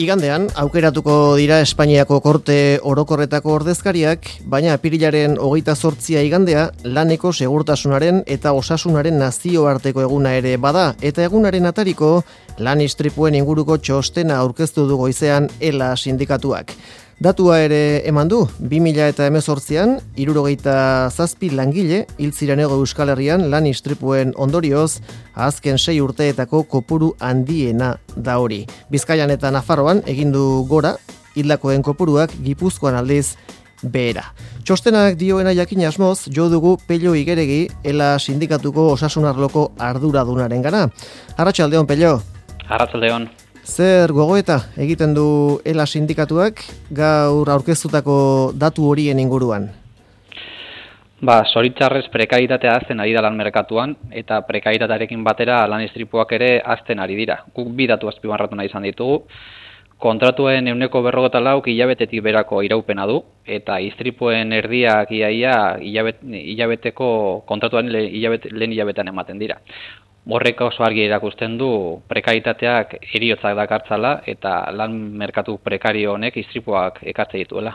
Igandean, aukeratuko dira Espainiako Korte Orokorretako ordezkariak, baina apirilaren 28 igandea laneko segurtasunaren eta osasunaren nazioarteko eguna ere bada, eta egunaren atariko lan istripuen inguruko txostena aurkeztu du goizean ELA sindikatuak. Datua ere eman du, 2018an, 67 langile hil ziren Hego Euskal Herrian lan istripuen ondorioz, azken 6 urteetako kopuru handiena da hori. Bizkaian eta Nafarroan egindu gora, hildakoen kopuruak Gipuzkoan aldiz behera. Txostenak dioena jakin asmoz, jo dugu Pello Igeregi, ELA sindikatuko osasunarloko arduradunaren gana. Arratsaldeon, Pello. Arratsaldeon. Zer gogoeta egiten du ELA sindikatuak gaur aurkeztutako datu horien inguruan? Zoritxarrez prekarietatea hazten ari da lan merkatuan, eta prekarietatearekin batera lan istripuak ere hazten ari dira. Guk bi datu azpimarratu nahi izan ditugu. Kontratuen 154 hilabetetik berako iraupena du, eta istripuen erdiak hilabeteko kontratuan lehen hilabetean ematen dira. Horrek oso argi erakusten du prekaritateak heriotzak dakartzala eta lan merkatu prekario honek istripuak ekartze dituela.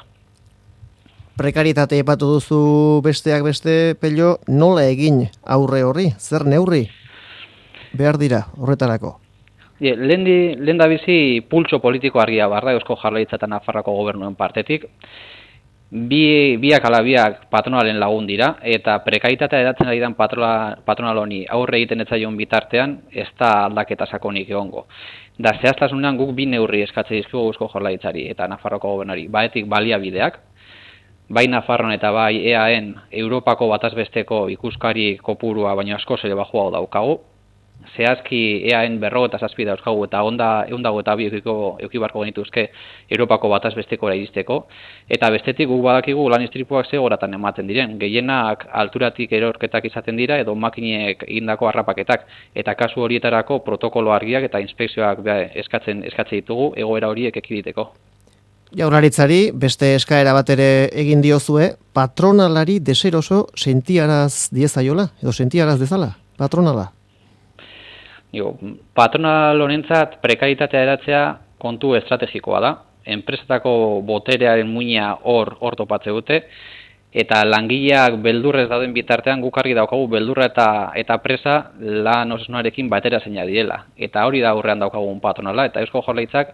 Prekaritate epatu duzu besteak beste, Pello, nola egin aurre horri? Zer neurri behar dira horretarako? Lehen da bizi pultso politiko argia barra Eusko Jaurlaritza eta Nafarroako gobernuen partetik. Biak ala biak patronalen lagun dira, eta prekaritatea edatzen ari den patronal honi aurre egiten ez zaion bitartean, ez da aldaketa sakonik egongo. Da zehaztasunean guk bi neurri eskatze dizkigu Eusko Jaurlaritzari eta Nafarroako gobernari. Baetik baliabideak, bai Nafarroan eta bai EAen Europako batazbesteko ikuskari kopurua baino askoz ere baxuago daukagu. Zehazki EAen 57 dauzkagu eta ehundago eta bi eduki beharko genituzke Europako batazbestekora iristeko. Eta bestetik guk badakigu lan istripuak ze goratan ematen diren. Gehienak alturatik erorketak izaten dira edo makinek egindako harrapaketak. Eta kasu horietarako protokolo argiak eta inspekzioak eskatze ditugu egoera horiek ekiditeko. Jaurlaritzari beste eskaera bat ere egin diozue, patronalari deseroso sentiaraz diezaiola edo sentiaraz dezala, patronala. Patronal honentzat prekaritatea eratzea kontu estrategikoa da. Enpresetako boterearen muina hor topatze dute, eta langileak beldurrez dauden bitartean guk argi daukagu beldurra eta presa lan osasunarekin batera zeina direla. Eta hori da aurrean daukagun patronala, eta Eusko Jaurlaritzak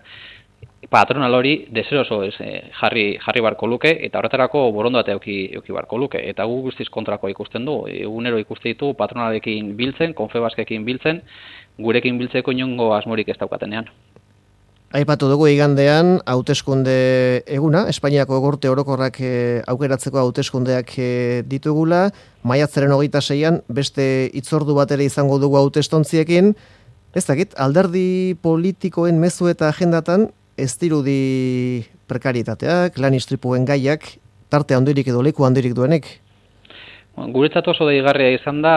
patronal hori deseroso jarri barko luke, eta horretarako borondatea eduki barko luke. Eta gu guztiz kontrakoa ikusten du. Egunero ikuste ditu patronalekin biltzen, Confebaskekin biltzen, gurekin biltzeko inongo asmorik ez daukatenean. Aipatu dugu igandean hauteskunde eguna, Espainiako Korte Orokorrak aukeratzeko hauteskundeak ditugula, maiatzaren 26an beste hitzordu bat ere izango dugu hautestontziekin. Ez dakit, alderdi politikoen mezu eta agendatan ez dirudi prekaritateak, lan istripuen gaiak, tarte handirik edo leku handirik duenek? Guretzat oso deigarria izan da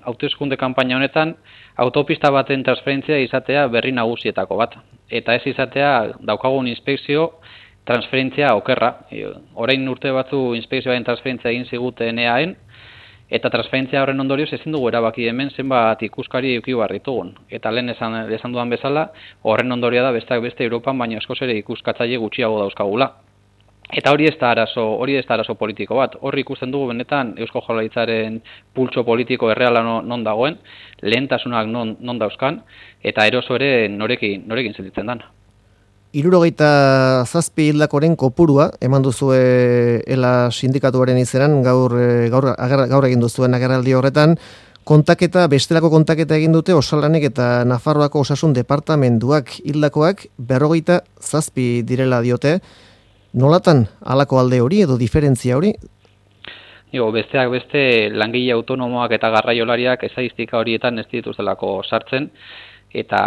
hauteskunde kanpaina honetan autopista baten transferentzia izatea berri nagusietako bat. Eta ez izatea daukagun inspekzio transferentzia okerra. Orain urte batzu inspekzioaren transferentzia egin ziguten EAen, eta transferentzia horren ondorioz ezin dugu erabaki hemen zenbat ikuskari eduki behar ditugun. Eta lehen esan dudan bezala, horren ondorioa da besteak beste Europan baino askoz ere ikuskatzaile gutxiago dauzkagula. Eta hori ez da arazo politiko bat. Horri ikusten dugu benetan Eusko Jaurlaritzaren pultso politiko erreala non dagoen, lehentasunak non dauzkan, eta eroso ere norekin sentitzen dan. 67 hildakoren kopurua eman duzue ELA sindikatuaren izenan gaur egin duzuen agerraldi horretan. Bestelako kontaketa egin dute Osalanek eta Nafarroako osasun departamentuak hildakoak 57 direla diote. Nolatan halako alde hori edo diferentzia hori? Besteak beste langile autonomoak eta garraiolariak estadistika horietan ez dituztelako sartzen, eta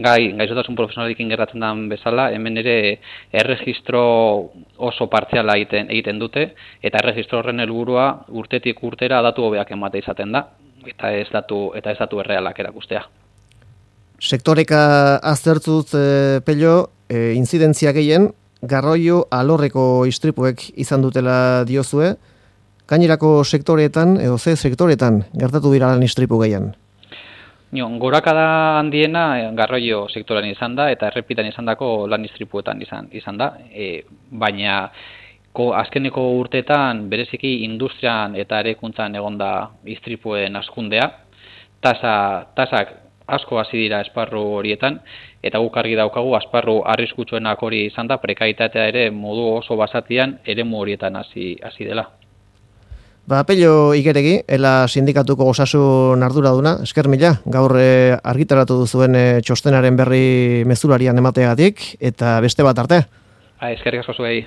gaixotasun profesionalekin gertatzen den bezala, hemen ere erregistro oso partziala egiten dute, eta erregistro horren helburua urtetik urtera datu hobeak emate izaten da, eta ez datu errealak erakustea. Sektoreka aztertzut, Pello, inzidentzia gehien, garraio alorreko istripuek izan dutela diozue, gainerako sektoreetan, edo ze sektoreetan gertatu dira lan istripu gehien? Gorakada handiena garraio sektorean izan da eta errepitan izandako lan istripuetan izan da, baina azkeneko urteetan bereziki industrian eta erekuntzan egonda istripuen hazkundea, tasak asko hasi dira esparru horietan, eta guk argi daukagu esparru arriskutsuenak hori izan da, prekaitatea ere modu oso basatian eremu horietan hasi dela. Pello Igeregi, ela sindikatuko osasun arduraduna, esker mila, gaur argitaratu duzuen txostenaren berri mezularian emateagatik, eta beste bat arte. Eskerrik asko zuei.